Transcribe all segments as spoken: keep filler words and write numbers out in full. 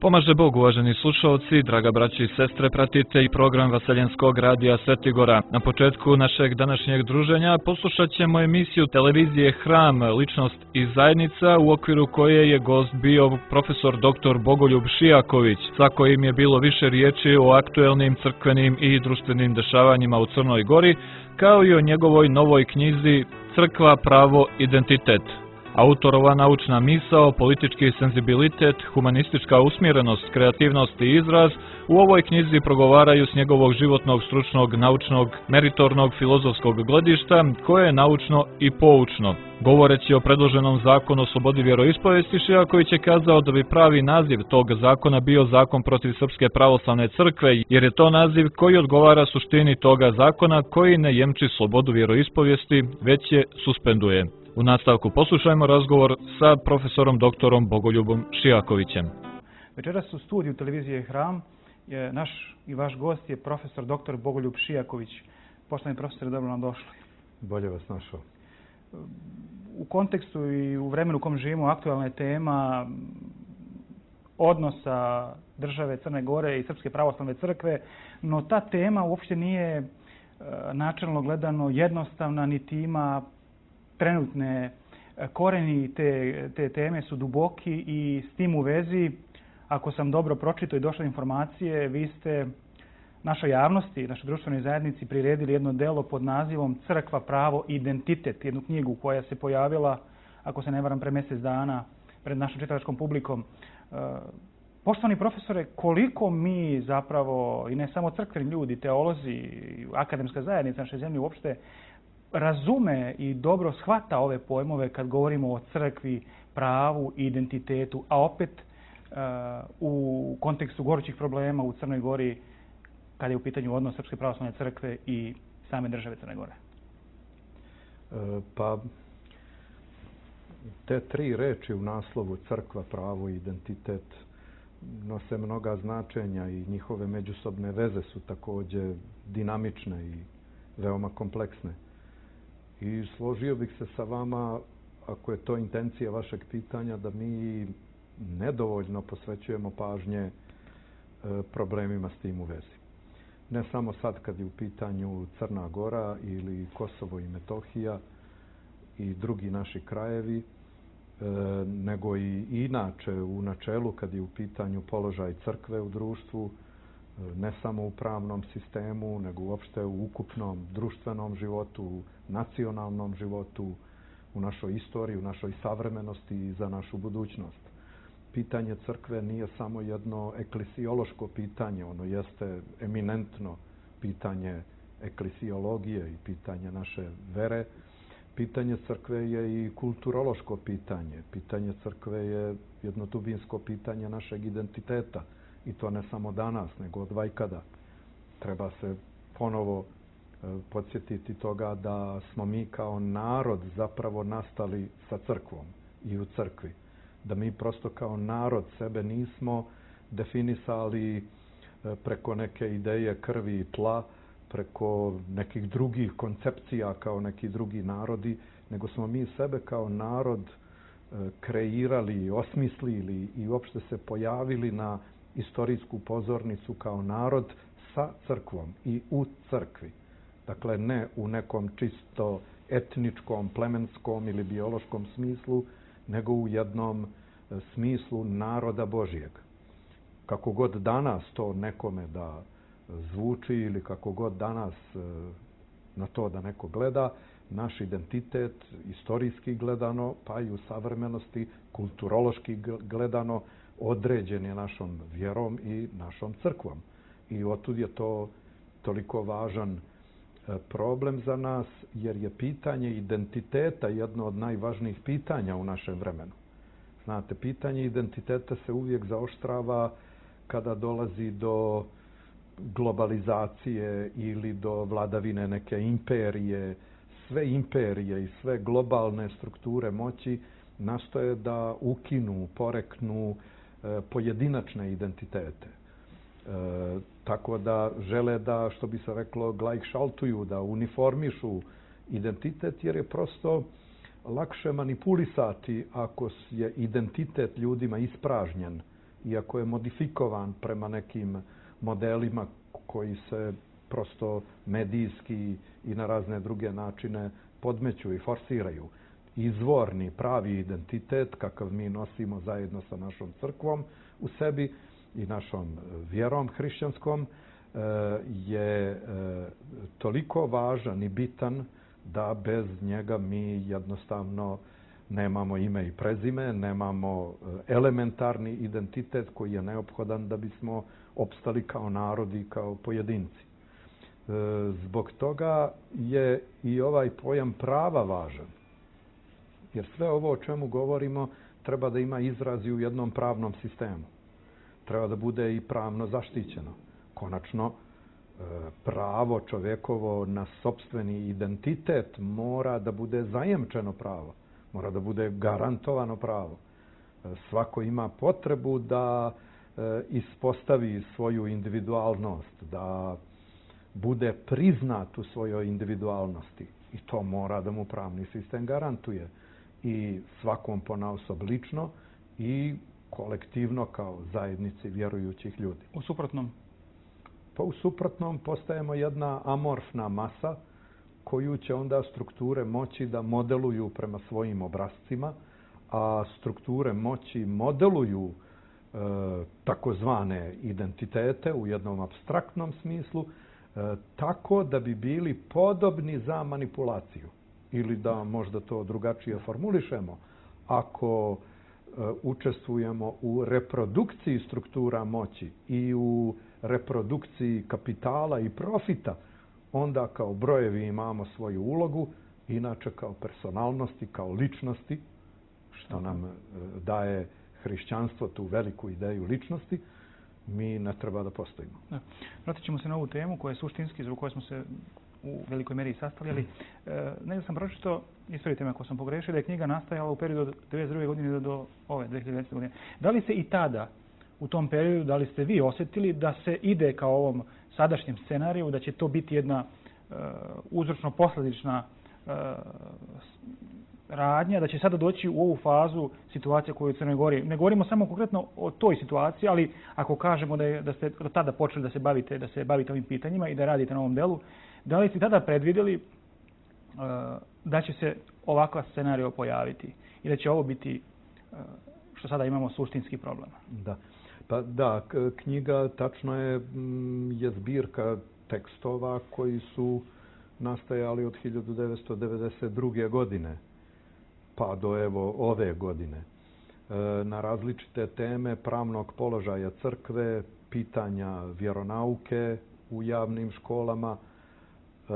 Pomaže Bog, uvaženi slušalci, draga braći i sestre, pratite i program Vaseljenskog radija Svetigora. Na početku našeg današnjeg druženja poslušat ćemo emisiju televizije Hram, ličnost i zajednica, u okviru koje je gost bio profesor doktor Bogoljub Šijaković, sa kojim je bilo više riječi o aktuelnim crkvenim i društvenim dešavanjima u Crnoj Gori, kao i o njegovoj novoj knjizi Crkva, pravo, identitet. Autorova naučna misao, politički senzibilitet, humanistička usmjerenost, kreativnost i izraz u ovoj knjizi progovaraju s njegovog životnog, stručnog, naučnog, meritornog, filozofskog gledišta, koje je naučno i poučno. Govoreći o predloženom zakonu o slobodi vjeroispovijesti, Šijaković je kazao da bi pravi naziv tog zakona bio zakon protiv Srpske pravoslavne crkve, jer je to naziv koji odgovara suštini toga zakona, koji ne jemči slobodu vjeroispovijesti, već je suspenduje. U nastavku poslušajmo razgovor sa profesorom doktorom Bogoljubom Šijakovićem. Večeras u studiju televizije Hram je naš i vaš gost je profesor doktor Bogoljub Šijaković. Poštovani profesore, dobro nam došli. Bolje vas našao. U kontekstu i u vremenu u kom živimo aktualna je tema odnosa države Crne Gore i Srpske pravoslavne crkve, no ta tema uopšte nije načelno gledano jednostavna, niti ima trenutne koreni te, te teme su duboki i s tim u vezi, ako sam dobro pročitao i došle informacije, vi ste našoj javnosti, našoj društvenoj zajednici priredili jedno delo pod nazivom Crkva, pravo, identitet, jednu knjigu koja se pojavila, ako se ne varam, pre mjesec dana pred našom čitalačkom publikom. Poštovani profesore, koliko mi zapravo, i ne samo crkveni ljudi, teolozi, akademska zajednica naše zemlje uopšte, razume i dobro shvata ove pojmove kad govorimo o crkvi, pravu i identitetu, a opet uh, u kontekstu gorućih problema u Crnoj Gori kada je u pitanju odnos Srpske pravoslavne crkve i same države Crne Gore. E, pa, te tri reči u naslovu crkva, pravo i identitet nose mnoga značenja i njihove međusobne veze su također dinamične i veoma kompleksne. I složio bih se sa vama, ako je to intencija vašeg pitanja, da mi nedovoljno posvećujemo pažnje problemima s tim u vezi. Ne samo sad kad je u pitanju Crna Gora ili Kosovo i Metohija i drugi naši krajevi, nego i inače u načelu kad je u pitanju položaj crkve u društvu, ne samo u pravnom sistemu, nego uopšte u ukupnom društvenom životu, u nacionalnom životu, u našoj istoriji, u našoj savremenosti i za našu budućnost. Pitanje crkve nije samo jedno eklesiološko pitanje, ono jeste eminentno pitanje eklesiologije i pitanje naše vere. Pitanje crkve je i kulturološko pitanje. Pitanje crkve je jedno dubinsko pitanje našeg identiteta. I to ne samo danas, nego od vajkada. Treba se ponovo e, podsjetiti toga da smo mi kao narod zapravo nastali sa crkvom i u crkvi. Da mi prosto kao narod sebe nismo definisali e, preko neke ideje krvi i tla, preko nekih drugih koncepcija kao neki drugi narodi, nego smo mi sebe kao narod e, kreirali, osmislili i uopšte se pojavili na istorijsku pozornicu kao narod sa crkvom i u crkvi. Dakle, ne u nekom čisto etničkom, plemenskom ili biološkom smislu, nego u jednom smislu naroda Božijeg. Kako god danas to nekome da zvuči ili kako god danas na to da neko gleda, naš identitet, istorijski gledano, pa i u savremenosti, kulturološki gledano, određen je našom vjerom i našom crkvom. I otud je to toliko važan problem za nas, jer je pitanje identiteta jedno od najvažnijih pitanja u našem vremenu. Znate, pitanje identiteta se uvijek zaoštrava kada dolazi do globalizacije ili do vladavine neke imperije. Sve imperije i sve globalne strukture moći nastoje da ukinu, poreknu pojedinačne identitete. E, tako da žele da, što bi se reklo, glajkšaltuju, da uniformišu identitet, jer je prosto lakše manipulisati ako je identitet ljudima ispražnjen iako je modifikovan prema nekim modelima koji se prosto medijski i na razne druge načine podmeću i forsiraju. Izvorni, pravi identitet, kakav mi nosimo zajedno sa našom crkvom u sebi i našom vjerom hrišćanskom, je toliko važan i bitan da bez njega mi jednostavno nemamo ime i prezime, nemamo elementarni identitet koji je neophodan da bismo opstali kao narod i kao pojedinci. Zbog toga je i ovaj pojam prava važan. Jer sve ovo o čemu govorimo treba da ima izraz i u jednom pravnom sistemu. Treba da bude i pravno zaštićeno. Konačno, pravo čovekovo na sopstveni identitet mora da bude zajemčeno pravo. Mora da bude garantovano pravo. Svako ima potrebu da ispostavi svoju individualnost, da bude priznat u svojoj individualnosti. I to mora da mu pravni sistem garantuje. I svakom ponaosob lično i kolektivno kao zajednici vjerujućih ljudi. U suprotnom? Pa u suprotnom postajemo jedna amorfna masa koju će onda strukture moći da modeluju prema svojim obrascima, a strukture moći modeluju e, takozvane identitete u jednom apstraktnom smislu, e, tako da bi bili podobni za manipulaciju. Ili da možda to drugačije formulišemo, ako e, učestvujemo u reprodukciji struktura moći i u reprodukciji kapitala i profita, onda kao brojevi imamo svoju ulogu, inače kao personalnosti, kao ličnosti, što nam daje hrišćanstvo, tu veliku ideju ličnosti, mi ne treba da postojimo. Da. Vratit ćemo se na ovu temu koja je suštinski, zbog koje smo se u velikoj meri sastali, ali e, negdje sam pročito, ispravite me ako sam pogrešio, da je knjiga nastajala u periodu od devedeset druge godine do, do ove dvije hiljade desete godine. Da li se i tada, u tom periodu, da li ste vi osjetili da se ide kao ovom sadašnjem scenariju, da će to biti jedna e, uzročno-posljedična e, radnja, da će sada doći u ovu fazu situacija koju je u Crnoj Gori. Ne govorimo samo konkretno o toj situaciji, ali ako kažemo da, je, da ste od tada počeli da se bavite, da se bavite ovim pitanjima i da radite na ovom delu, da li ste tada predvidjeli uh, da će se ovakva scenario pojaviti i da će ovo biti, uh, što sada imamo, suštinski problem? Da, pa da, knjiga tačno je, je zbirka tekstova koji su nastajali od hiljadu devetsto devedeset druge godine pa do evo ove godine. E, na različite teme pravnog položaja crkve, pitanja vjeronauke u javnim školama. E,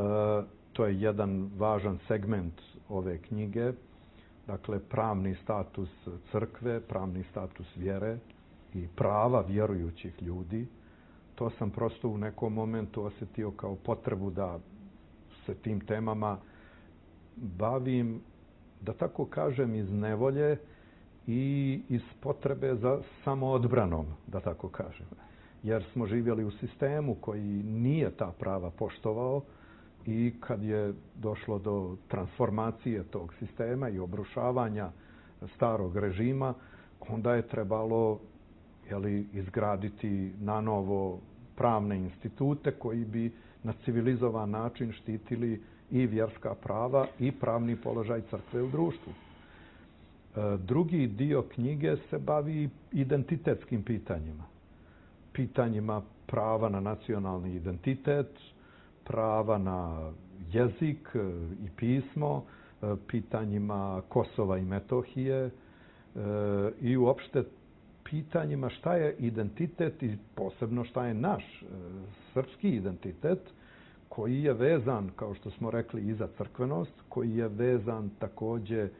to je jedan važan segment ove knjige. Dakle, pravni status crkve, pravni status vjere i prava vjerujućih ljudi. To sam prosto u nekom momentu osjetio kao potrebu da se tim temama bavim, da tako kažem, iz nevolje i iz potrebe za samoodbranom, da tako kažem. Jer smo živjeli u sistemu koji nije ta prava poštovao i kad je došlo do transformacije tog sistema i obrušavanja starog režima, onda je trebalo jeli, izgraditi na novo pravne institute koji bi na civilizovan način štitili i vjerska prava i pravni položaj crkve u društvu. Drugi dio knjige se bavi identitetskim pitanjima. Pitanjima prava na nacionalni identitet, prava na jezik i pismo, pitanjima Kosova i Metohije i uopšte pitanjima šta je identitet i posebno šta je naš srpski identitet, koji je vezan, kao što smo rekli, i za crkvenost, koji je vezan također e,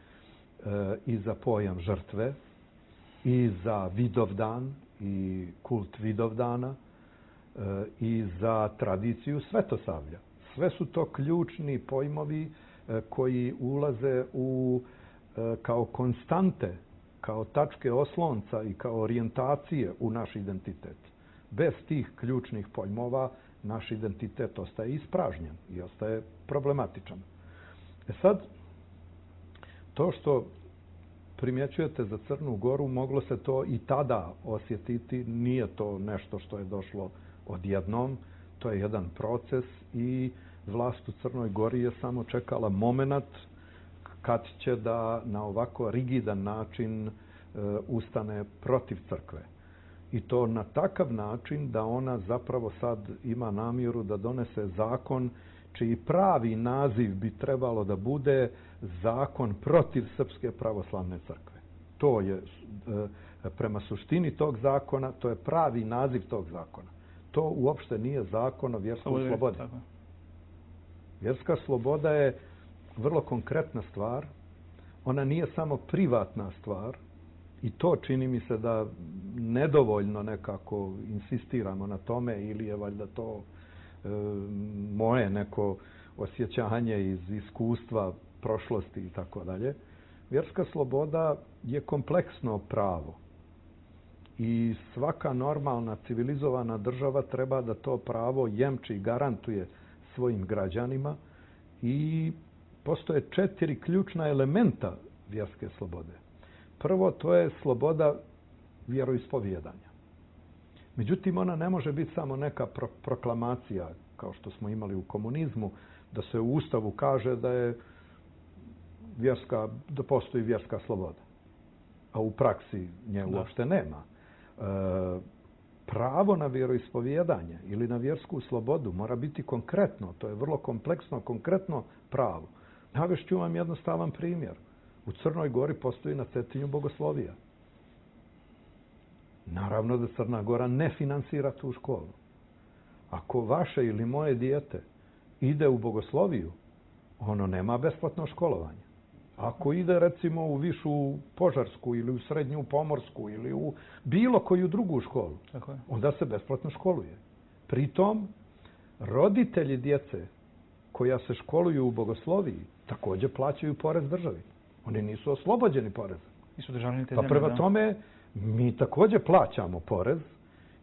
i za pojam žrtve, i za Vidovdan i kult Vidovdana, e, i za tradiciju Svetosavlja. Sve su to ključni pojmovi e, koji ulaze u, e, kao konstante, kao tačke oslonca i kao orijentacije u naš identitet. Bez tih ključnih pojmova naš identitet ostaje ispražnjen i ostaje problematičan. E sad, to što primjećujete za Crnu Goru, moglo se to i tada osjetiti. Nije to nešto što je došlo odjednom. To je jedan proces i vlast u Crnoj Gori je samo čekala moment kad će da na ovako rigidan način e, ustane protiv crkve. I to na takav način da ona zapravo sad ima namjeru da donese zakon čiji pravi naziv bi trebalo da bude zakon protiv Srpske pravoslavne crkve. To je, e, prema suštini tog zakona, to je pravi naziv tog zakona. To uopšte nije zakon o vjerskoj slobodi. Vjerska sloboda je vrlo konkretna stvar. Ona nije samo privatna stvar i to čini mi se da nedovoljno nekako insistiramo na tome ili je valjda to e, moje neko osjećanje iz iskustva prošlosti i tako dalje. Vjerska sloboda je kompleksno pravo i svaka normalna civilizovana država treba da to pravo jemči i garantuje svojim građanima i postoje četiri ključna elementa vjerske slobode. Prvo, to je sloboda vjeroispovjedanja. Međutim, ona ne može biti samo neka pro- proklamacija, kao što smo imali u komunizmu, da se u Ustavu kaže da je vjerska, da postoji vjerska sloboda. A u praksi nje uopšte nema. E, pravo na vjeroispovjedanje ili na vjersku slobodu mora biti konkretno. To je vrlo kompleksno, konkretno pravo. Navešću vam jednostavan primjer. U Crnoj Gori postoji na Cetinju bogoslovija. Naravno da Crna Gora ne finansira tu školu. Ako vaše ili moje dijete ide u bogosloviju, ono nema besplatno školovanje. Ako ide recimo u višu požarsku ili u srednju pomorsku ili u bilo koju drugu školu, Tako je. onda se besplatno školuje. Pritom, roditelji djece koja se školuju u bogosloviji također plaćaju porez državi. Oni nisu oslobođeni poreza. I su državljani te Pa zemlje, prema da. tome, mi također plaćamo porez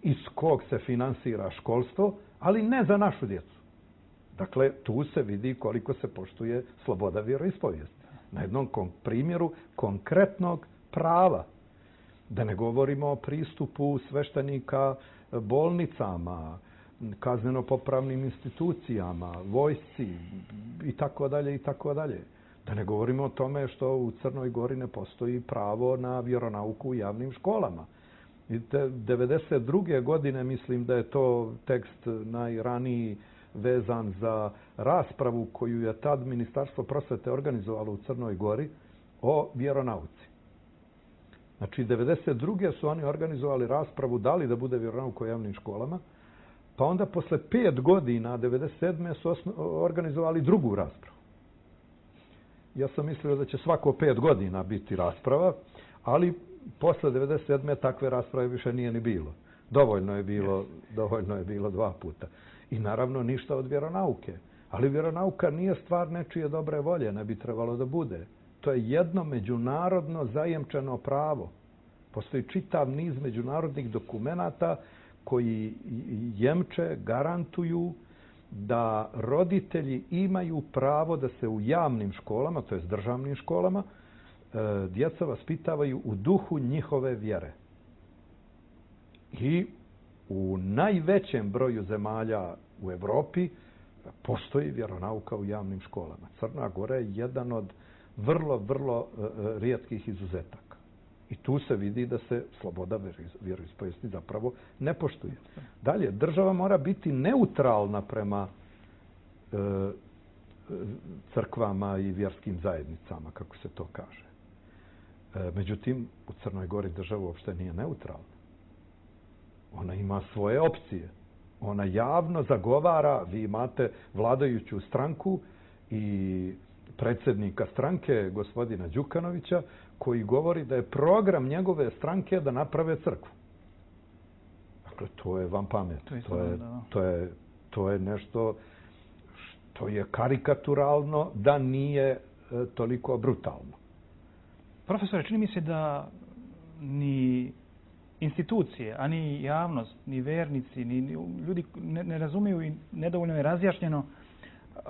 iz kog se finansira školstvo, ali ne za našu djecu. Dakle, tu se vidi koliko se poštuje sloboda vjeroispovijesti. Na jednom kon- primjeru konkretnog prava. Da ne govorimo o pristupu sveštenika bolnicama, kazneno-popravnim institucijama, vojsci i tako dalje i tako dalje. Da ne govorimo o tome što u Crnoj Gori ne postoji pravo na vjeronauku u javnim školama. Vidite, devedeset druge godine mislim da je to tekst najraniji vezan za raspravu koju je tad Ministarstvo prosvete organizovalo u Crnoj Gori o vjeronauci. Znači, devedeset druge su oni organizovali raspravu da li da bude vjeronauk u javnim školama, pa onda posle pet godina, devedeset sedme su osno, organizovali drugu raspravu. Ja sam mislio da će svako pet godina biti rasprava, ali posle devedeset sedme takve rasprave više nije ni bilo. Dovoljno je bilo, dovoljno je bilo dva puta. I naravno ništa od vjeronauke. Ali vjeronauka nije stvar nečije dobre volje, ne bi trebalo da bude. To je jedno međunarodno zajemčeno pravo. Postoji čitav niz međunarodnih dokumenata koji jemče, garantuju da roditelji imaju pravo da se u javnim školama, to je državnim školama, djeca vaspitavaju u duhu njihove vjere. I u najvećem broju zemalja u Evropi postoji vjeronauka u javnim školama. Crna Gora je jedan od vrlo, vrlo rijetkih izuzetaka. I tu se vidi da se sloboda vjeroispovijesti zapravo ne poštuje. Dalje, država mora biti neutralna prema e, crkvama i vjerskim zajednicama, kako se to kaže. E, međutim, u Crnoj Gori država uopšte nije neutralna. Ona ima svoje opcije. Ona javno zagovara, vi imate vladajuću stranku i predsjednika stranke, gospodina Đukanovića, koji govori da je program njegove stranke da naprave crkvu. Dakle, to je van pamet. To je, to je, to je, to je nešto što je karikaturalno, da nije e, toliko brutalno. Profesore, čini mi se da ni institucije, a ni javnost, ni vernici, ni ljudi ne, ne razumiju i nedovoljno je razjašnjeno uh,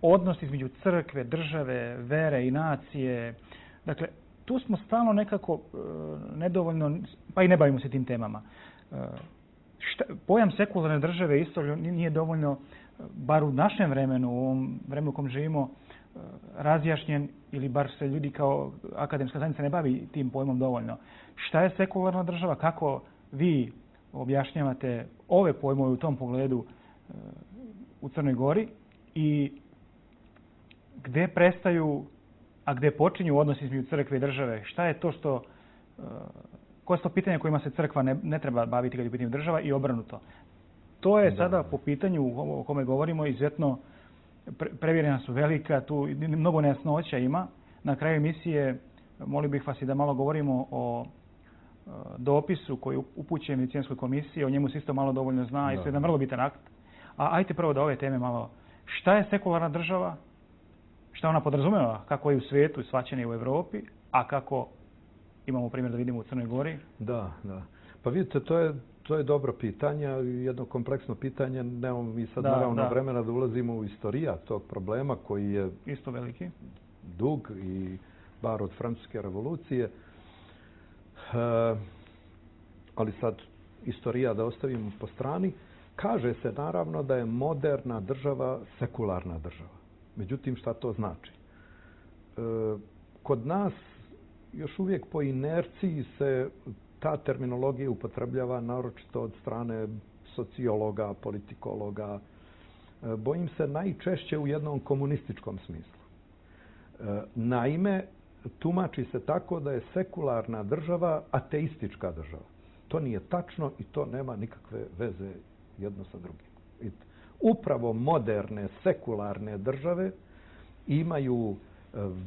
odnos između crkve, države, vere i nacije. Dakle, tu smo stalno nekako e, nedovoljno, pa i ne bavimo se tim temama. E, šta, pojam sekularne države isto nije dovoljno, bar u našem vremenu, u ovom vremenu u kom živimo, razjašnjen, ili bar se ljudi kao akademska zajednica ne bavi tim pojmom dovoljno. Šta je sekularna država? Kako vi objašnjavate ove pojmove u tom pogledu u Crnoj Gori i gde prestaju, a gde počinju odnosi između crkve i države? Šta je to što, koje su to pitanja kojima se crkva ne, ne treba baviti kad je u pitanju država i obrnuto? To je sada po pitanju o kome govorimo izuzetno prevjerena su velika, tu mnogo nejasnoća ima. Na kraju emisije molio bih vas i da malo govorimo o dopisu koji je upućen Venecijanskoj komisiji, o njemu se isto malo dovoljno zna i to je jedan vrlo bitan akt. A ajte prvo da ove teme malo, šta je sekularna država, šta ona podrazumeva, kako je u svijetu, shvaćena u Evropi, a kako imamo primjer da vidimo u Crnoj Gori? Da, da. Pa vidite, to je To je dobro pitanje, jedno kompleksno pitanje. Nemamo mi sad da, naravno da. vremena da ulazimo u istorija tog problema koji je isto veliki, dug i bar od Francuske revolucije. E, ali sad istorija da ostavimo po strani. Kaže se naravno da je moderna država sekularna država. Međutim, šta to znači? E, kod nas još uvijek po inerciji se ta terminologija upotrebljava naročito od strane sociologa, politikologa. Bojim se najčešće u jednom komunističkom smislu. Naime, tumači se tako da je sekularna država ateistička država. To nije tačno i to nema nikakve veze jedno sa drugim. Upravo moderne sekularne države imaju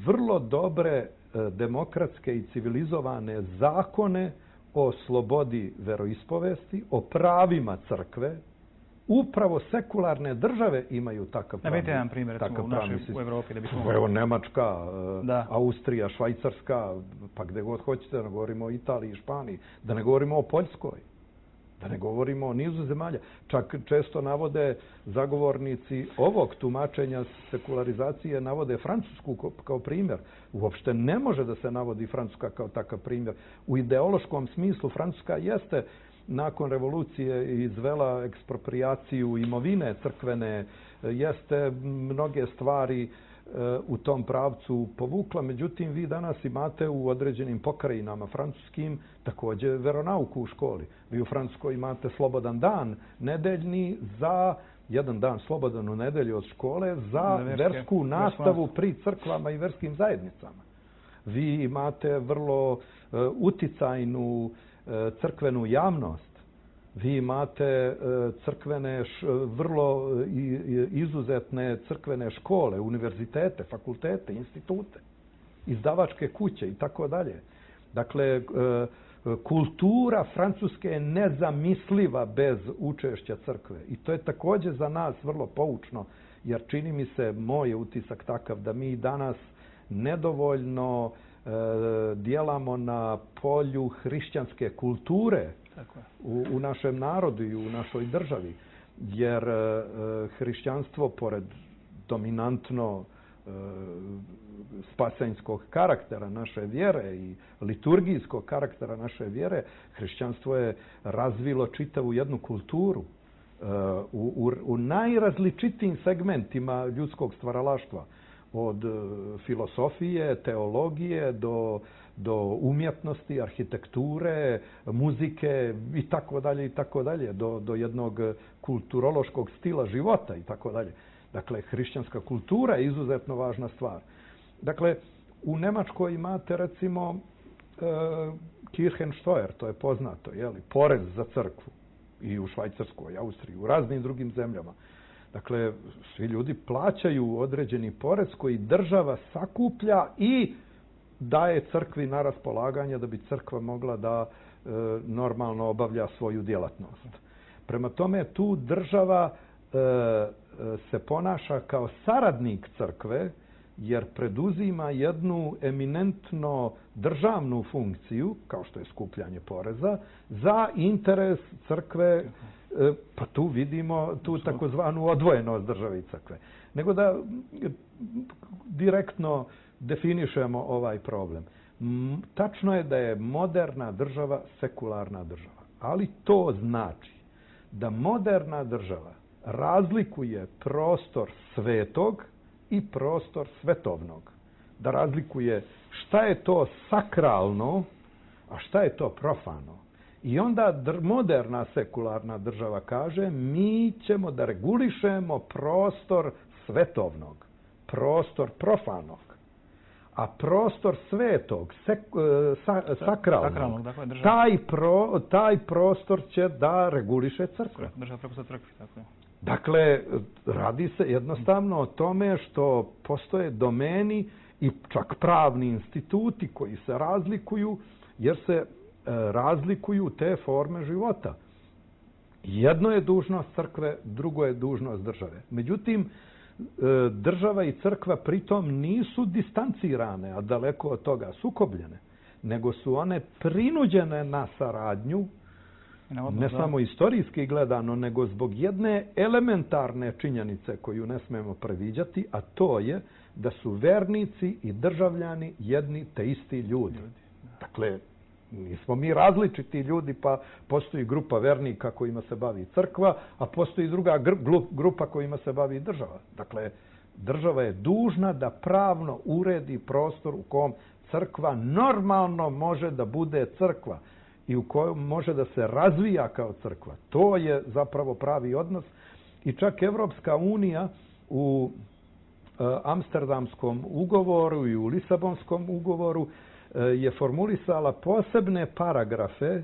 vrlo dobre demokratske i civilizovane zakone o slobodi veroispovesti, o pravima crkve. Upravo sekularne države imaju takav pravni sistem. Navedite jedan primjer, recimo, u našoj u Evropi. Da bismo... Evo, Nemačka, da. Austrija, Švajcarska, pa gdje god hoćete, da ne govorimo o Italiji i Španiji, da ne govorimo o Poljskoj, da ne govorimo o nizu zemalja. Čak često navode zagovornici ovog tumačenja sekularizacije, navode Francusku kao primjer. Uopšte ne može da se navodi Francuska kao takav primjer. U ideološkom smislu Francuska jeste nakon revolucije izvela eksproprijaciju imovine crkvene, jeste mnoge stvari u tom pravcu povukla. Međutim, vi danas imate u određenim pokrajinama francuskim također veronauku u školi. Vi u Francuskoj imate slobodan dan nedeljni za jedan dan slobodan u nedelju od škole za verske, versku nastavu pri crkvama i verskim zajednicama. Vi imate vrlo uh, uticajnu uh, crkvenu javnost. Vi imate uh, crkvene, š, vrlo uh, izuzetne crkvene škole, univerzitete, fakultete, institute, izdavačke kuće i tako dalje. Dakle, uh, kultura Francuske je nezamisliva bez učešća crkve. I to je također za nas vrlo poučno, jer čini mi se, moj je utisak takav, da mi danas nedovoljno e, djelamo na polju hrišćanske kulture Tako je. u, u našem narodu i u našoj državi. Jer e, hrišćanstvo, pored dominantno e, spasenjskog karaktera naše vjere i liturgijskog karaktera naše vjere, hrišćanstvo je razvilo čitavu jednu kulturu uh, u, u, u najrazličitijim segmentima ljudskog stvaralaštva. Od uh, filosofije, teologije do, do umjetnosti, arhitekture, muzike i tako dalje i tako dalje, do, do jednog kulturološkog stila života i tako dalje. Dakle, hrišćanska kultura je izuzetno važna stvar. Dakle, u Nemačkoj imate, recimo, e, Kirchensteuer, to je poznato, jeli, porez za crkvu. I u Švajcarskoj, Austriji, u raznim drugim zemljama. Dakle, svi ljudi plaćaju određeni porez koji država sakuplja i daje crkvi na raspolaganje da bi crkva mogla da e, normalno obavlja svoju djelatnost. Prema tome, tu država e, se ponaša kao saradnik crkve, jer preduzima jednu eminentno državnu funkciju, kao što je skupljanje poreza, za interes crkve, pa tu vidimo tu takozvanu odvojenost države i crkve. Nego da direktno definišemo ovaj problem. Tačno je da je moderna država sekularna država, ali to znači da moderna država razlikuje prostor svetog i prostor svetovnog. Da razlikuje šta je to sakralno, a šta je to profano. I onda moderna sekularna država kaže mi ćemo da regulišemo prostor svetovnog, prostor profanog. A prostor svetog, sek, sa, sakralnog, sakralnog dakle, taj, pro, taj prostor će da reguliše crkva. Država prepušta crkvi, tako je. Dakle, radi se jednostavno o tome što postoje domeni i čak pravni instituti koji se razlikuju, jer se e, razlikuju te forme života. Jedno je dužnost crkve, drugo je dužnost države. Međutim, država i crkva pritom nisu distancirane, a daleko od toga sukobljene, nego su one prinuđene na saradnju, ne samo istorijski gledano, nego zbog jedne elementarne činjenice koju ne smemo previđati, a to je da su vernici i državljani jedni te isti ljudi. Dakle, nismo mi različiti ljudi, pa postoji grupa vernika kojima se bavi crkva, a postoji druga grupa kojima se bavi država. Dakle, država je dužna da pravno uredi prostor u kom crkva normalno može da bude crkva i u kojem može da se razvija kao crkva. To je zapravo pravi odnos i čak Evropska unija u Amsterdamskom ugovoru i u Lisabonskom ugovoru je formulisala posebne paragrafe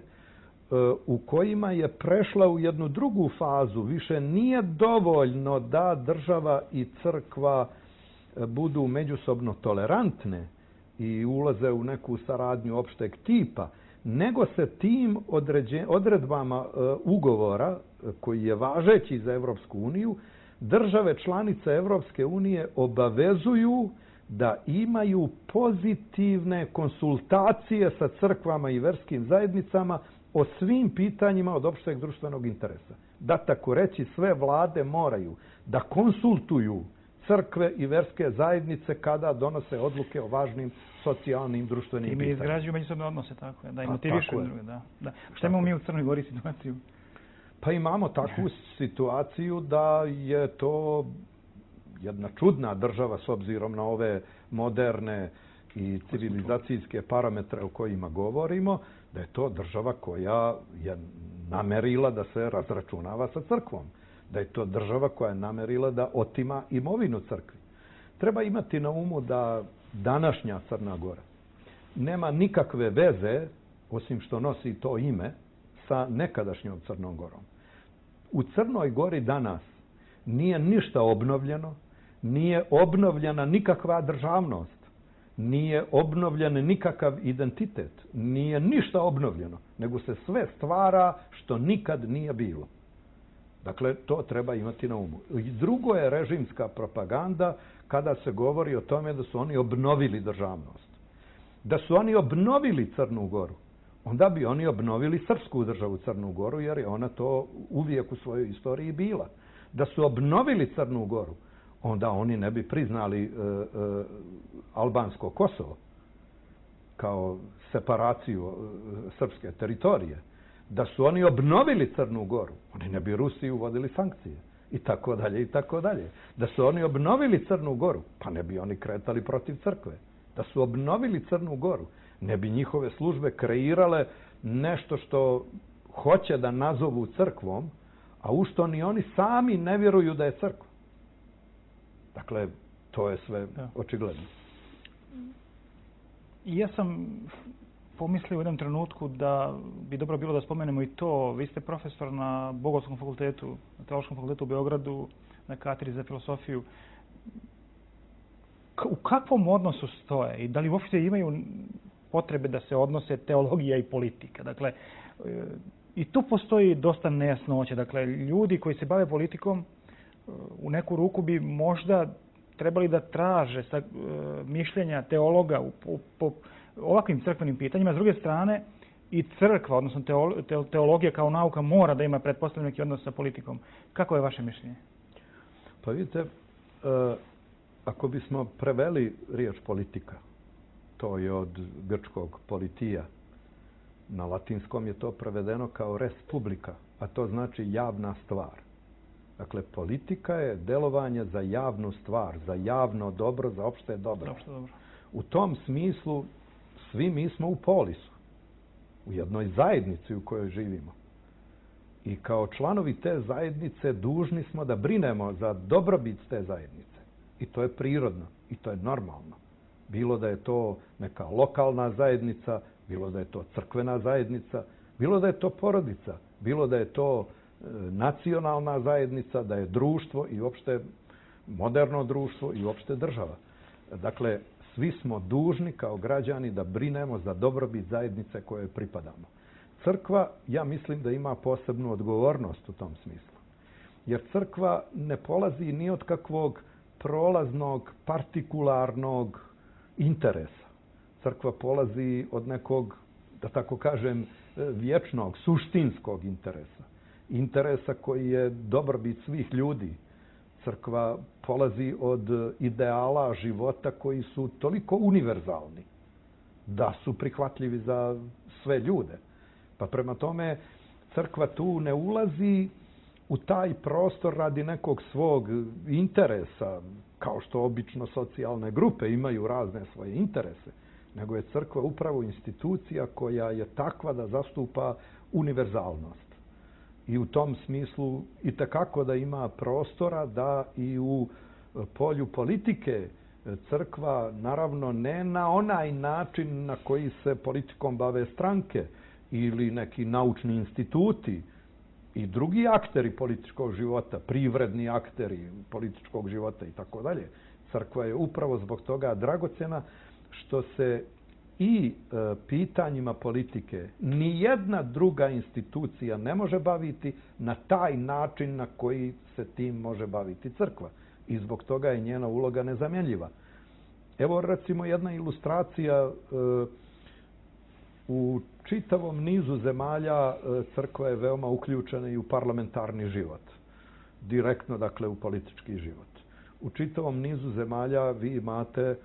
u kojima je prešla u jednu drugu fazu. Više nije dovoljno da država i crkva budu međusobno tolerantne i ulaze u neku saradnju opšteg tipa, nego se tim odredbama ugovora, koji je važeći za Evropsku uniju, države članice Evropske unije obavezuju da imaju pozitivne konsultacije sa crkvama i verskim zajednicama o svim pitanjima od opšteg društvenog interesa. Da tako reći, sve vlade moraju da konsultuju crkve i verske zajednice kada donose odluke o važnim socijalnim društvenim pitanjima. I mi izgrađuju međusobne odnose, tako je, da i motivišu druge. Da, da. Šta imamo mi u Crnoj Gori situaciju? Pa imamo takvu situaciju da je to jedna čudna država s obzirom na ove moderne i civilizacijske parametre o kojima govorimo, da je to država koja je namerila da se razračunava sa crkvom. Da je to država koja je namerila da otima imovinu crkvi. Treba imati na umu da današnja Crna Gora nema nikakve veze, osim što nosi to ime, sa nekadašnjom Crnom Gorom. U Crnoj Gori danas nije ništa obnovljeno, nije obnovljena nikakva državnost, nije obnovljen nikakav identitet, nije ništa obnovljeno, nego se sve stvara što nikad nije bilo. Dakle, to treba imati na umu. I drugo je režimska propaganda kada se govori o tome da su oni obnovili državnost. Da su oni obnovili Crnu Goru, onda bi oni obnovili srpsku državu Crnu Goru, jer je ona to uvijek u svojoj istoriji bila. Da su obnovili Crnu Goru, onda oni ne bi priznali e, e, albansko Kosovo kao separaciju e, srpske teritorije. Da su oni obnovili Crnu Goru, oni ne bi Rusiji uvodili sankcije i tako dalje i tako dalje. Da su oni obnovili Crnu Goru, pa ne bi oni kretali protiv crkve. Da su obnovili Crnu Goru, ne bi njihove službe kreirale nešto što hoće da nazovu crkvom, a u što ni oni sami ne vjeruju da je crkva. Dakle, to je sve očigledno. Ja sam pomislio u jednom trenutku da bi dobro bilo da spomenemo i to. Vi ste profesor na Bogoslovskom fakultetu, na Teološkom fakultetu u Beogradu, na katedri za filosofiju. U kakvom odnosu stoje i da li uopšte imaju potrebe da se odnose teologija i politika? Dakle, i tu postoji dosta nejasnoća. Dakle, ljudi koji se bave politikom u neku ruku bi možda trebali da traže sa, mišljenja teologa u, po, po ovakvim crkvenim pitanjima. S druge strane, i crkva, odnosno teologija kao nauka, mora da ima pretpostavljeni neki odnos sa politikom. Kako je vaše mišljenje? Pa vidite, ako bismo preveli riječ politika To je od grčkog politija. Na latinskom je to prevedeno kao res publica, a to znači javna stvar. Dakle, politika je delovanje za javnu stvar, za javno dobro, za opšte dobro. Opšte dobro. U tom smislu svi mi smo u polisu, u jednoj zajednici u kojoj živimo. I kao članovi te zajednice dužni smo da brinemo za dobrobit te zajednice. I to je prirodno i to je normalno. Bilo da je to neka lokalna zajednica, bilo da je to crkvena zajednica, bilo da je to porodica, bilo da je to e, nacionalna zajednica, da je društvo i uopšte moderno društvo i uopšte država. Dakle, svi smo dužni kao građani da brinemo za dobrobit zajednice kojoj pripadamo. Crkva, ja mislim da ima posebnu odgovornost u tom smislu. Jer crkva ne polazi ni od kakvog prolaznog, partikularnog interesa. Crkva polazi od nekog, da tako kažem, vječnog, suštinskog interesa. Interesa koji je dobrobit svih ljudi. Crkva polazi od ideala života koji su toliko univerzalni da su prihvatljivi za sve ljude. Pa prema tome, crkva tu ne ulazi u taj prostor radi nekog svog interesa, kao što obično socijalne grupe imaju razne svoje interese, nego je crkva upravo institucija koja je takva da zastupa univerzalnost. I u tom smislu i tekako da ima prostora da i u polju politike crkva, naravno ne na onaj način na koji se politikom bave stranke ili neki naučni instituti i drugi akteri političkog života, privredni akteri političkog života i tako dalje. Crkva je upravo zbog toga dragocjena što se i e, pitanjima politike ni jedna druga institucija ne može baviti na taj način na koji se tim može baviti crkva. I zbog toga je njena uloga nezamjenljiva. Evo recimo jedna ilustracija e, u čitavom nizu zemalja e, crkva je veoma uključena i u parlamentarni život. Direktno, dakle, u politički život. U čitavom nizu zemalja vi imate e,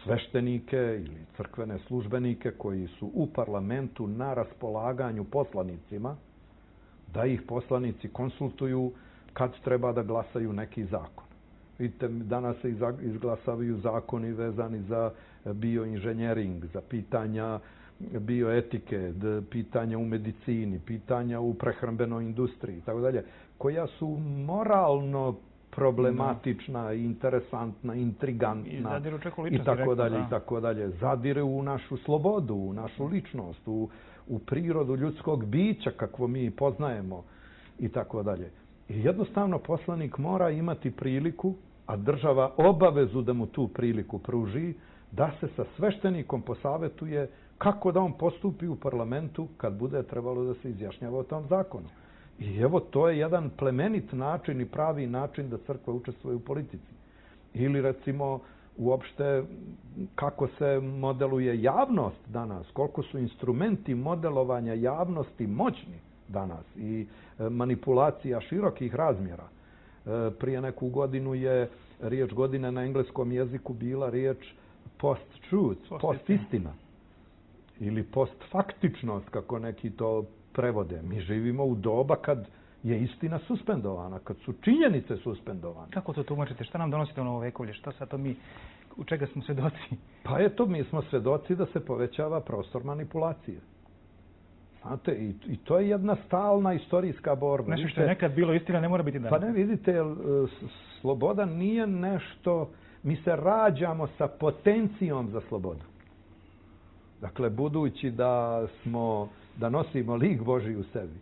sveštenike ili crkvene službenike koji su u parlamentu na raspolaganju poslanicima, da ih poslanici konsultuju kad treba da glasaju neki zakon. Vidite, danas se izglasavaju zakoni vezani za bioinženjering, za pitanja bioetike, pitanja u medicini, pitanja u prehrambenoj industriji, tako dalje, koja su moralno problematična, interesantna, intrigantna i, i tako dalje i tako dalje. Zadire u našu slobodu, u našu ličnost, u, u prirodu ljudskog bića kakvo mi poznajemo i tako dalje. I jednostavno poslanik mora imati priliku, a država obavezu da mu tu priliku pruži, da se sa sveštenikom posavetuje kako da on postupi u parlamentu kad bude trebalo da se izjašnjava o tom zakonu. I evo, to je jedan plemenit način i pravi način da crkva učestvuje u politici. Ili recimo uopšte kako se modeluje javnost danas, koliko su instrumenti modelovanja javnosti moćni danas i manipulacija širokih razmjera. Prije neku godinu je riječ godine na engleskom jeziku bila riječ post-truth, post-istina ili post-faktičnost, kako neki to prevode. Mi živimo u doba kad je istina suspendovana, kad su činjenice suspendovane. Kako to tumačite? Šta nam donosite u novovekovlje? Šta sad to mi, u čega smo svedoci? Pa eto, mi smo svedoci da se povećava prostor manipulacije. Znate, i, i to je jedna stalna istorijska borba. Nešto što je nekad bilo istina ne mora biti danas. Pa ne, vidite, sloboda nije nešto, mi se rađamo sa potencijom za slobodu. Dakle, budući da smo, da nosimo lik Božji u sebi,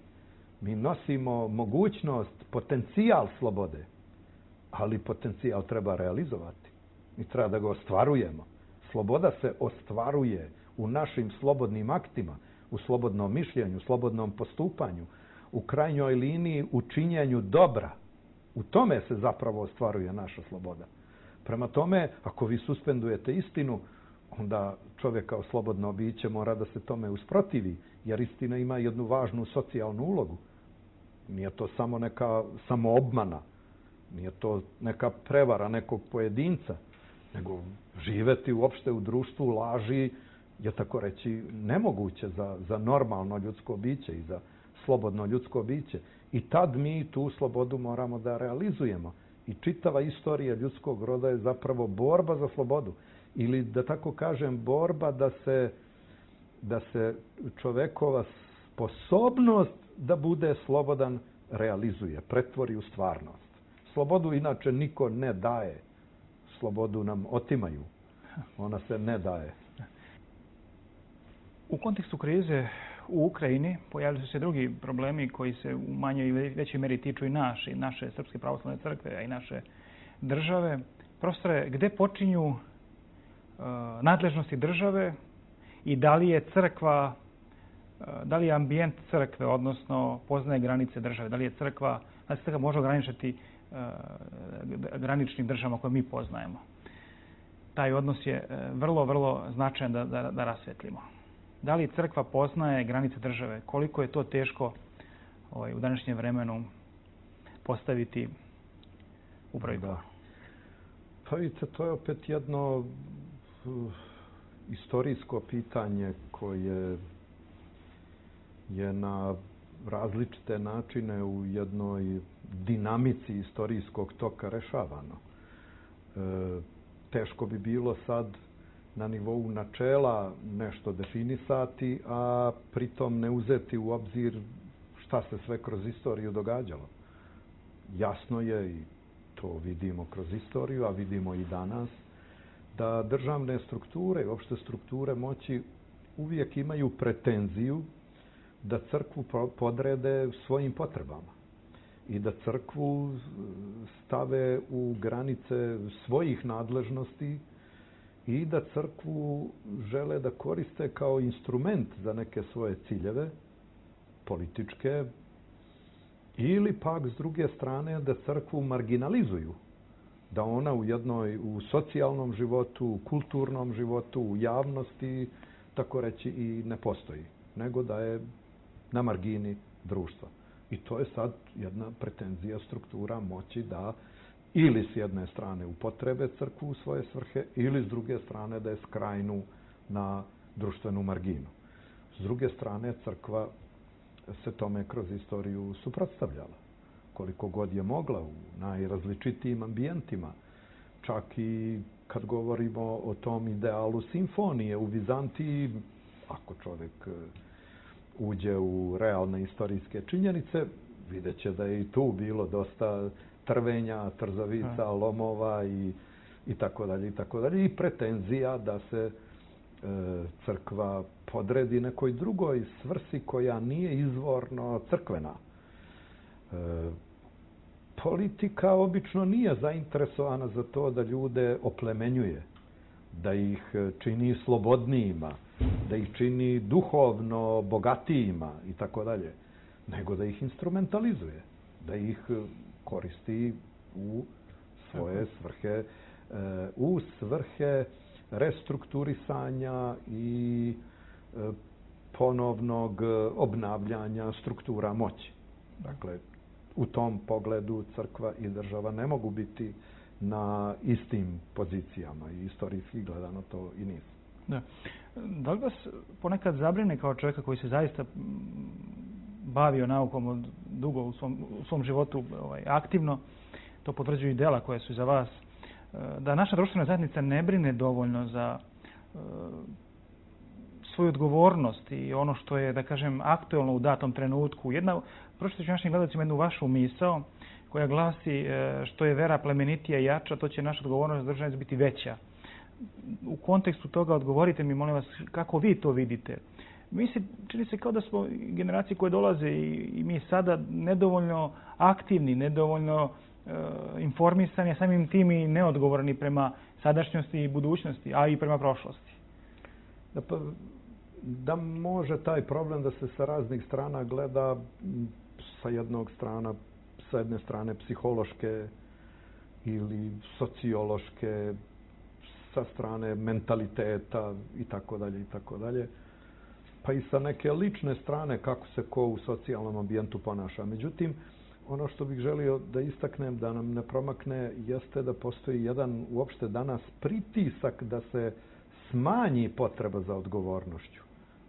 mi nosimo mogućnost, potencijal slobode, ali potencijal treba realizovati. Mi treba da ga ostvarujemo. Sloboda se ostvaruje u našim slobodnim aktima, u slobodnom mišljenju, slobodnom postupanju, u krajnjoj liniji u činjenju dobra. U tome se zapravo ostvaruje naša sloboda. Prema tome, ako vi suspendujete istinu, onda čovjek kao slobodno biće mora da se tome usprotivi, jer istina ima jednu važnu socijalnu ulogu. Nije to samo neka samoobmana, nije to neka prevara nekog pojedinca, nego živeti uopšte u društvu laži je tako reći nemoguće za, za normalno ljudsko biće i za slobodno ljudsko biće. I tad mi tu slobodu moramo da realizujemo. I čitava istorija ljudskog roda je zapravo borba za slobodu. Ili da tako kažem, borba da se, da se čovekova sposobnost da bude slobodan realizuje, pretvori u stvarnost. Slobodu inače niko ne daje. Slobodu nam otimaju. Ona se ne daje. U kontekstu krize u Ukrajini pojavili su se drugi problemi koji se u manjoj i većoj meri tiču i naše, i naše Srpske pravoslavne crkve, a i naše države. Profesore, gde počinju uh, nadležnosti države i da li je crkva, uh, da li je ambijent crkve, odnosno poznaje granice države, da li je crkva, da se crkva može ograničiti uh, graničnim državama koje mi poznajemo. Taj odnos je uh, vrlo, vrlo značajan da, da, da rasvetlimo. Da li crkva poznaje granice države? Koliko je to teško ovaj, u današnjem vremenu postaviti u prvi plan? Pa vidite, to je opet jedno uh, istorijsko pitanje koje je na različite načine u jednoj dinamici istorijskog toka rešavano. E, teško bi bilo sad na nivou načela nešto definisati, a pritom ne uzeti u obzir šta se sve kroz istoriju događalo. Jasno je, i to vidimo kroz istoriju, a vidimo i danas, da državne strukture, uopšte strukture moći, uvijek imaju pretenziju da crkvu podrede svojim potrebama i da crkvu stave u granice svojih nadležnosti i da crkvu žele da koriste kao instrument za neke svoje ciljeve, političke, ili pak s druge strane da crkvu marginalizuju, da ona u jednoj, u socijalnom životu, u kulturnom životu, u javnosti, tako reći, i ne postoji, nego da je na margini društva. I to je sad jedna pretenzija struktura moći da ili s jedne strane upotrebe crkvu u svoje svrhe, ili s druge strane da je skrajnu na društvenu marginu. S druge strane, crkva se tome kroz istoriju suprotstavljala. Koliko god je mogla u najrazličitijim ambijentima. Čak i kad govorimo o tom idealu simfonije u Vizantiji, ako čovjek uđe u realne istorijske činjenice, vidjet će da je i tu bilo dosta trvenja, trzavica, lomova i, i tako dalje, i tako dalje. I pretenzija da se e, crkva podredi nekoj drugoj svrsi koja nije izvorno crkvena. E, politika obično nije zainteresovana za to da ljude oplemenjuje, da ih čini slobodnijima, da ih čini duhovno bogatijima i tako dalje, nego da ih instrumentalizuje, da ih koristi u svoje svrhe, u svrhe restrukturisanja i ponovnog obnavljanja struktura moći. Dakle, u tom pogledu crkva i država ne mogu biti na istim pozicijama i istorijski gledano to i nisu. Da. Da li vas ponekad zabrine kao čovjeka koji se zaista bavio naukom od dugo u svom, u svom životu ovaj, aktivno, to potvrđuju i dela koje su za vas, da naša društvena zajednica ne brine dovoljno za uh, svoju odgovornost i ono što je, da kažem, aktuelno u datom trenutku. Jedna, pročitaću našim gledalcima jednu vašu misao koja glasi uh, što je vera plemenitija i jača, to će naša odgovornost za državnost biti veća. U kontekstu toga odgovorite mi, molim vas, kako vi to vidite. Mi se, čini se kao da smo generacije koje dolaze i, i mi sada nedovoljno aktivni, nedovoljno e, informisani, a samim tim i neodgovorni prema sadašnjosti i budućnosti, a i prema prošlosti. Da, pa, da može taj problem da se sa raznih strana gleda, sa jednog strana, sa jedne strane psihološke ili sociološke, sa strane mentaliteta i tako dalje i tako dalje, pa i sa neke lične strane kako se ko u socijalnom ambijentu ponaša. Međutim, ono što bih želio da istaknem, da nam ne promakne, jeste da postoji jedan uopšte danas pritisak da se smanji potreba za odgovornošću.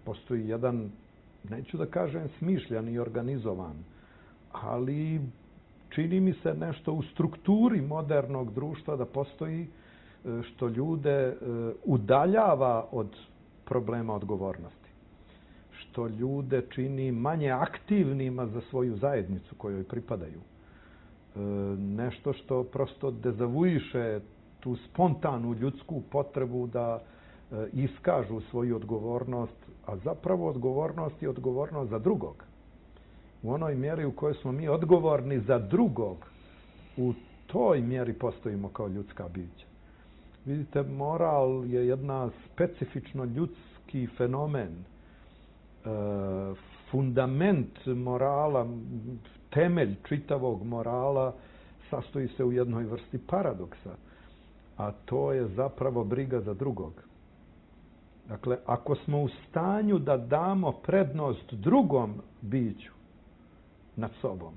Postoji jedan, neću da kažem smišljan i organizovan, ali čini mi se nešto u strukturi modernog društva da postoji što ljude udaljava od problema odgovornosti. Što ljude čini manje aktivnima za svoju zajednicu kojoj pripadaju. Nešto što prosto dezavuiše tu spontanu ljudsku potrebu da iskažu svoju odgovornost, a zapravo odgovornost je odgovornost za drugog. U onoj mjeri u kojoj smo mi odgovorni za drugog, u toj mjeri postojimo kao ljudska bića. Vidite, moral je jedna specifično ljudski fenomen. E, fundament morala, temelj čitavog morala sastoji se u jednoj vrsti paradoksa, a to je zapravo briga za drugog. Dakle, ako smo u stanju da damo prednost drugom biću nad sobom,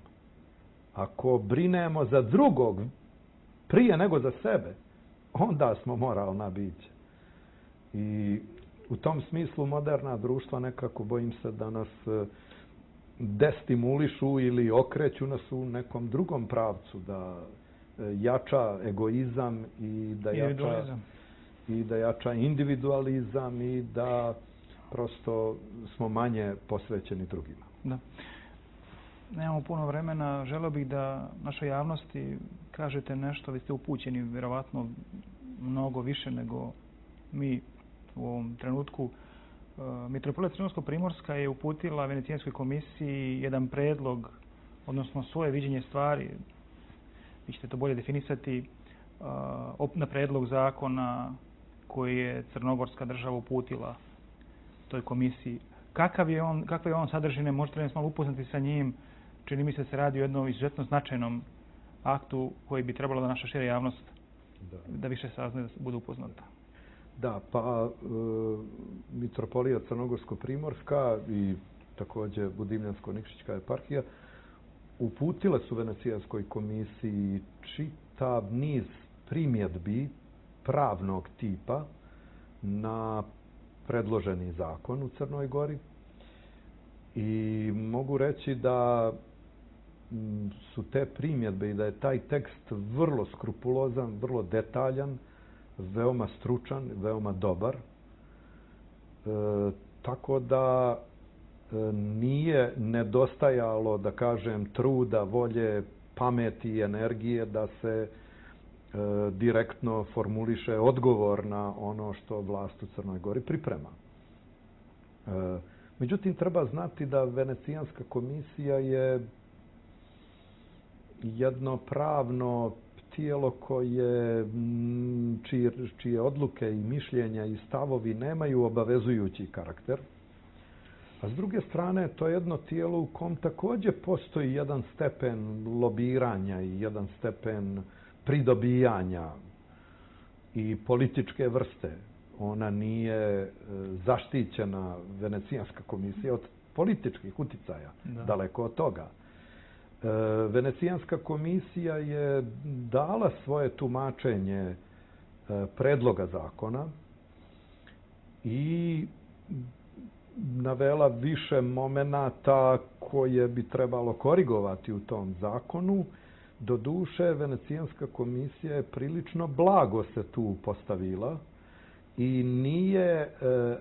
ako brinemo za drugog prije nego za sebe, onda smo moralna bića. I u tom smislu moderna društva nekako, bojim se, da nas destimulišu ili okreću nas u nekom drugom pravcu, da jača egoizam i da jača, i da jača individualizam i da prosto smo manje posvećeni drugima. Da. Nemamo puno vremena. Želeo bih da našoj javnosti kažete nešto. Vi ste upućeni vjerovatno mnogo više nego mi u ovom trenutku. Mitropolija Crnogorsko-primorska je uputila Venecijanskoj komisiji jedan predlog, odnosno svoje viđenje stvari, vi ćete to bolje definisati, na predlog zakona koji je Crnogorska država uputila toj komisiji. Kakav je on, kakve je on sadržine, možete li nas malo upoznati sa njim? Čini mi se da se radi o jednom izuzetno značajnom aktu koji bi trebalo da naša šira javnost da, da više sazna, da bude upoznata. Da, pa e, Mitropolija Crnogorsko-primorska i također Budimljansko-Nikšićka eparhija uputile su Venecijanskoj komisiji čitav niz primjedbi pravnog tipa na predloženi zakon u Crnoj Gori. I mogu reći da su te primjedbe i da je taj tekst vrlo skrupulozan, vrlo detaljan, veoma stručan, veoma dobar. E, tako da e, nije nedostajalo, da kažem, truda, volje, pameti i energije da se e, direktno formuliše odgovor na ono što vlast u Crnoj Gori priprema. E, Međutim, treba znati da Venecijanska komisija je jedno pravno tijelo koje, čije, čije odluke i mišljenja i stavovi nemaju obavezujući karakter. A s druge strane, to je jedno tijelo u kom također postoji jedan stepen lobiranja i jedan stepen pridobijanja i političke vrste. Ona nije zaštićena, Venecijanska komisija, od političkih uticaja. Da. Daleko od toga. E, Venecijanska komisija je dala svoje tumačenje e, predloga zakona i navela više momenata koje bi trebalo korigovati u tom zakonu. Doduše, Venecijanska komisija je prilično blago se tu postavila i nije e,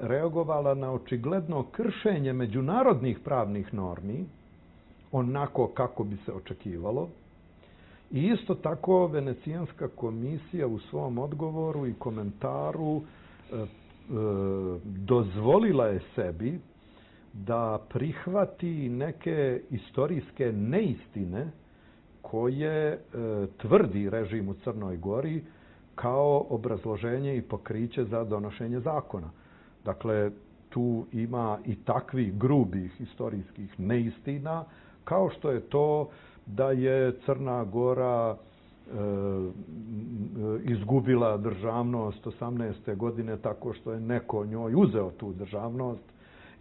reagovala na očigledno kršenje međunarodnih pravnih normi, onako kako bi se očekivalo. I isto tako Venecijanska komisija u svom odgovoru i komentaru e, e, dozvolila je sebi da prihvati neke istorijske neistine koje e, tvrdi režim u Crnoj Gori kao obrazloženje i pokriće za donošenje zakona. Dakle, tu ima i takvih grubih historijskih neistina, kao što je to da je Crna Gora e, izgubila državnost osamnaeste godine tako što je neko njoj uzeo tu državnost,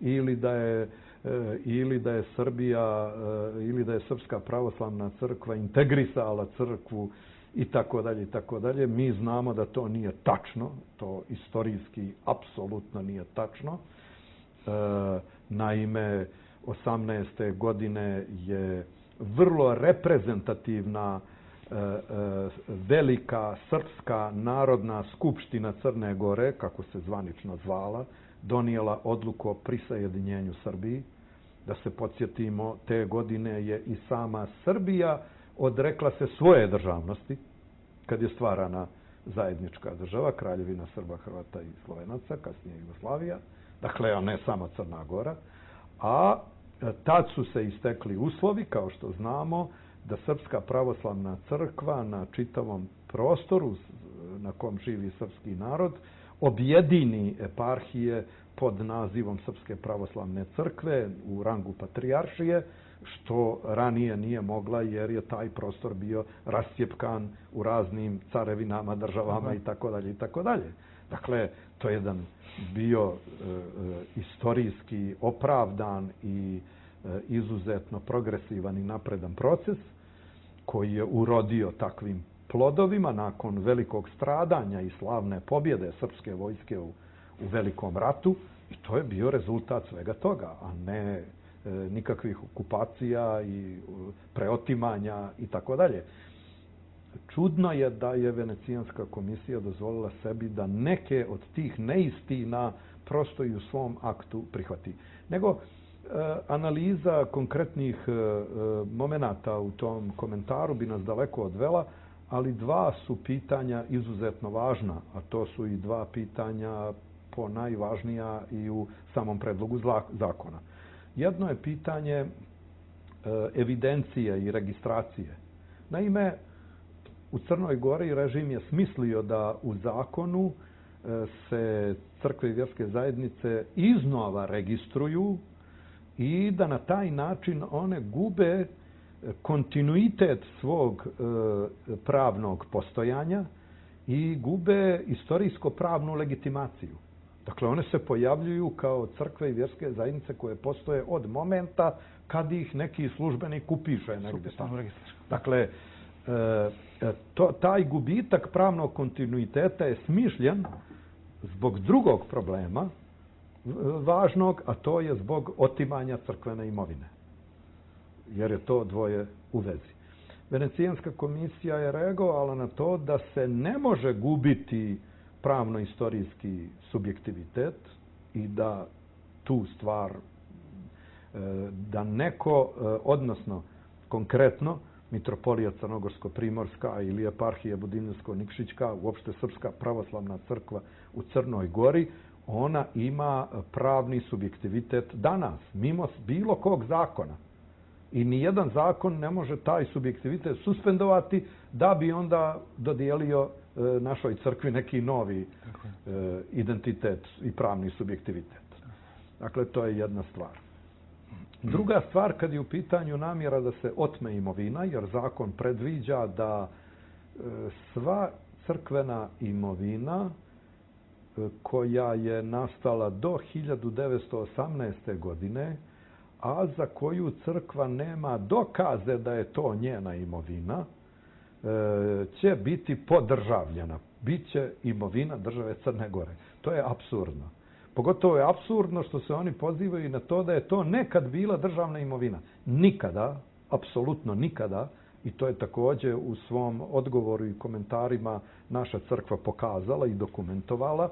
ili da je ili da je Srbija ili da je Srpska pravoslavna crkva integrisala crkvu i tako dalje i tako dalje. Mi znamo da to nije tačno, to istorijski apsolutno nije tačno. Naime, osamnaeste godine je vrlo reprezentativna velika srpska narodna skupština Crne Gore, kako se zvanično zvala, donijela odluku o prisajedinjenju Srbiji. Da se podsjetimo, te godine je i sama Srbija odrekla se svoje državnosti, kad je stvarana zajednička država, Kraljevina Srba, Hrvata i Slovenaca, kasnije Jugoslavija, dakle, a ne samo Crna Gora, a tad su se istekli uslovi, kao što znamo, da Srpska pravoslavna crkva na čitavom prostoru na kom živi srpski narod objedini eparhije pod nazivom Srpske pravoslavne crkve u rangu patrijaršije, što ranije nije mogla jer je taj prostor bio rascjepkan u raznim carevinama, državama i tako dalje i tako dalje. Dakle, to je jedan bio e, e, istorijski opravdan i e, izuzetno progresivan i napredan proces koji je urodio takvim plodovima nakon velikog stradanja i slavne pobjede srpske vojske u, u Velikom ratu, i to je bio rezultat svega toga, a ne e, nikakvih okupacija i preotimanja i tako dalje. Čudno je da je Venecijanska komisija dozvolila sebi da neke od tih neistina prosto i u svom aktu prihvati. Nego e, analiza konkretnih e, momenata u tom komentaru bi nas daleko odvela, ali dva su pitanja izuzetno važna, a to su i dva pitanja po najvažnija i u samom predlogu zakona. Jedno je pitanje e, evidencije i registracije. Naime, u Crnoj Gori režim je smislio da u zakonu se crkve i vjerske zajednice iznova registruju i da na taj način one gube kontinuitet svog pravnog postojanja i gube istorijsko-pravnu legitimaciju. Dakle, one se pojavljuju kao crkve i vjerske zajednice koje postoje od momenta kad ih neki službenik upiše negdje. Dakle, to, taj gubitak pravnog kontinuiteta je smišljen zbog drugog problema važnog, a to je zbog otimanja crkvene imovine. Jer je to dvoje u vezi. Venecijanska komisija je reagovala na to da se ne može gubiti pravno-istorijski subjektivitet i da tu stvar, da neko, odnosno konkretno, Mitropolija Crnogorsko-Primorska ili eparhija Budimljsko-Nikšićka, uopšte Srpska pravoslavna crkva u Crnoj Gori, ona ima pravni subjektivitet danas, mimo bilo kog zakona. I nijedan zakon ne može taj subjektivitet suspendovati da bi onda dodijelio e, našoj crkvi neki novi e, identitet i pravni subjektivitet. Dakle, to je jedna stvar. Druga stvar, kad je u pitanju namjera da se otme imovina, jer zakon predviđa da e, sva crkvena imovina e, koja je nastala do hiljadu devetsto osamnaeste. godine, a za koju crkva nema dokaze da je to njena imovina, e, će biti podržavljena. Biće imovina države Crne Gore. To je apsurdno. Pogotovo je apsurdno što se oni pozivaju na to da je to nekad bila državna imovina. Nikada, apsolutno nikada, i to je također u svom odgovoru i komentarima naša crkva pokazala i dokumentovala,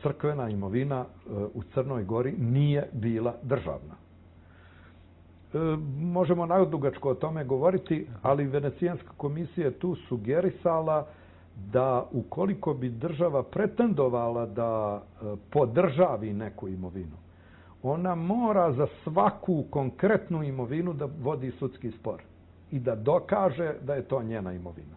crkvena imovina u Crnoj Gori nije bila državna. Možemo nadugačko o tome govoriti, ali Venecijanska komisija je tu sugerisala da ukoliko bi država pretendovala da podržavi neku imovinu, ona mora za svaku konkretnu imovinu da vodi sudski spor i da dokaže da je to njena imovina.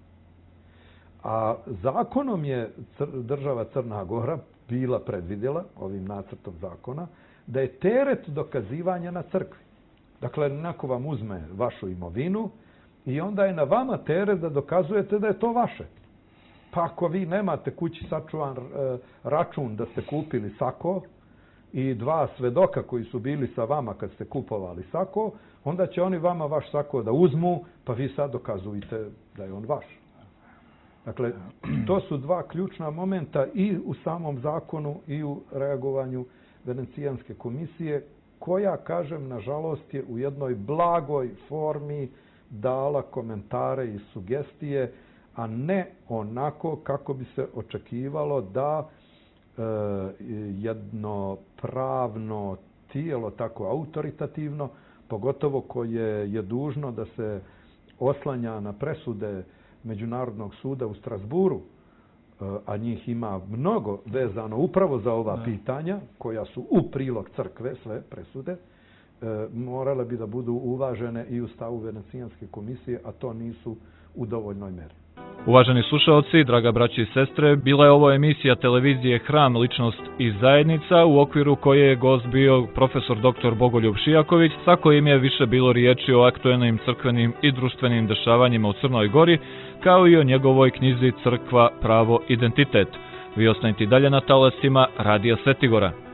A zakonom je država Crna Gora bila predvidjela, ovim nacrtom zakona, da je teret dokazivanja na crkvi. Dakle, neko vam uzme vašu imovinu i onda je na vama teret da dokazujete da je to vaše. Pa ako vi nemate kući sačuvan račun da ste kupili sako i dva svedoka koji su bili sa vama kad ste kupovali sako, onda će oni vama vaš sako da uzmu, pa vi sad dokazujete da je on vaš. Dakle, to su dva ključna momenta i u samom zakonu i u reagovanju Venecijanske komisije, koja, kažem, nažalost je u jednoj blagoj formi dala komentare i sugestije, a ne onako kako bi se očekivalo da e, jedno pravno tijelo, tako autoritativno, pogotovo koje je dužno da se oslanja na presude Međunarodnog suda u Strasburu, a njih ima mnogo vezano upravo za ova pitanja, koja su u prilog crkve, sve presude, morale bi da budu uvažene i u stavu Venecijanske komisije, a to nisu u dovoljnoj meri. Uvaženi slušalci, draga braći i sestre, bila je ovo emisija televizije Hram, ličnost i zajednica, u okviru koje je gost bio profesor doktor Bogoljub Šijaković, sa kojim je više bilo riječi o aktuelnim crkvenim i društvenim dešavanjima u Crnoj Gori, kao i o njegovoj knjizi Crkva, pravo, identitet. Vi ostanite dalje na talasima Radija Svetigora.